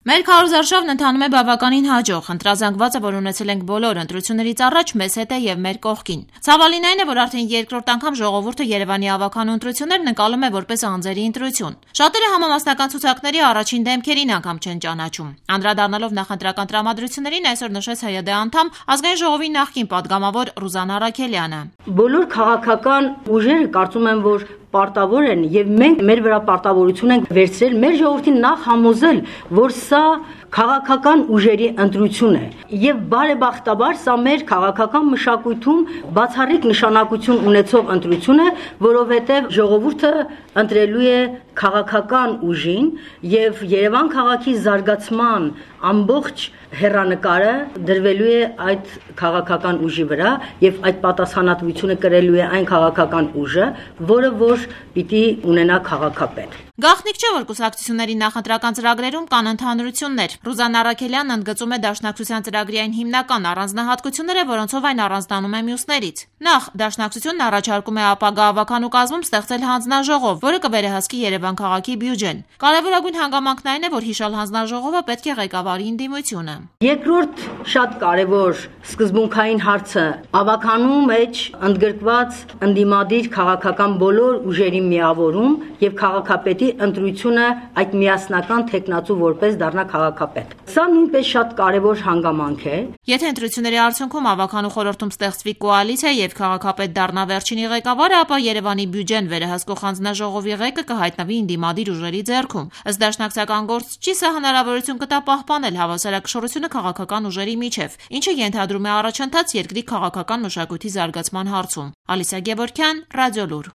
Մեր քարոզարշավն ընթանում է բավականին հաջող, ընտրազանգվածը, որ ունեցել ենք բոլոր ընտրություններից առաջ, մեզ հետ է եւ մեր կողքին։ Ցավալին այն է, որ արդեն երկրորդ անգամ ժողովուրդը Երևանի ավականու ընտրություններն ընկալում է որպես անձերի ընտրություն։ Շատերը համամասնական ցուցակների առաջին դեմքերին անգամ չեն ճանաչում։ Անդրադառնալով նախընտրական տրամադրություններին, այսօր նշեց ՀՅԴ անդամ Ազգային ժողովի նախկին падգամավոր Ռուզաննա Արաքելյանը։ Բոլոր քաղաքական ուժերը կարծում եմ, որ պարտավոր են եւ մենք մեր վրա պարտավորություն ենք վերցրել մեր ժողովրդին նախ համոզել, որ սա քաղաքական ուժերի ընտրություն է եւ բարեբախտաբար սա մեր քաղաքական մշակույթում բացառիկ նշանակություն ունեցող ընտրություն է, որովհետեւ ժողովուրդը ընտրելու է քաղաքական ուժին եւ Երևան քաղաքի զարգացման ամբողջ հեռանկարը դրվելու է այդ քաղաքական ուժի վրա եւ այդ պատասխանատվությունը կրելու է այն քաղաքական ուժը, որը որ պիտի ունենա քաղաքապետ։ Գաղտնիք չէ, որ կուսակցությունների նախընտրական ծրագրերում կան ընդհանրություններ։ Ռուզաննա Արաքելյանն ընդգծում է Դաշնակցության ծրագրի այն հիմնական առանձնահատկությունները, որոնցով այն առանձնանում է մյուսներից։ Նախ, Դաշնակցությունն առաջարկում է ապագա ավականու կազմում ստեղծել հանձնաժողով, որը կվերահսկի Երևան քաղաքի բյուջեն։ Կարևորագույն հանգամանքն այն է, որ հիշալ հանձնաժողովը պետք է ղեկավարի ընդդիմությունը։ Երկրորդ շատ կարևոր սկզբունքային հարցը ավականու մեջ ընդգրկված ընդդիմադիր քաղաքական բոլոր ուժերի միավորում եւ քաղաքապետի ընտրությունը այդ միասնական տեխնացու որպես դառնա քաղաքապետ։ Սա նույնպես շատ կարևոր հանգամանք է։ Եթե ընտրությունների արդյունքում ավականու խորհրդում ստեղծվի կոալիցիա եւ քաղաքապետ դառնա վերջինի ղեկավարը, ապա Երևանի բյուջեն վերահսկող հանձնաժողովի ղեկը կհայտնվի ընդդիմադիր ուժերի ձեռքում։ Ըստ դաշնակցական գործչի, սա հնարավորություն կտա պահպանել հավասարակշռությունը քաղաքական ուժերի միջև, ինչը ենթադրում է առաջընթաց երկրի քաղաքական մշակույթի զարգացման հարցում։ Ալիսա Գևորգյան, Ռադիոլուր։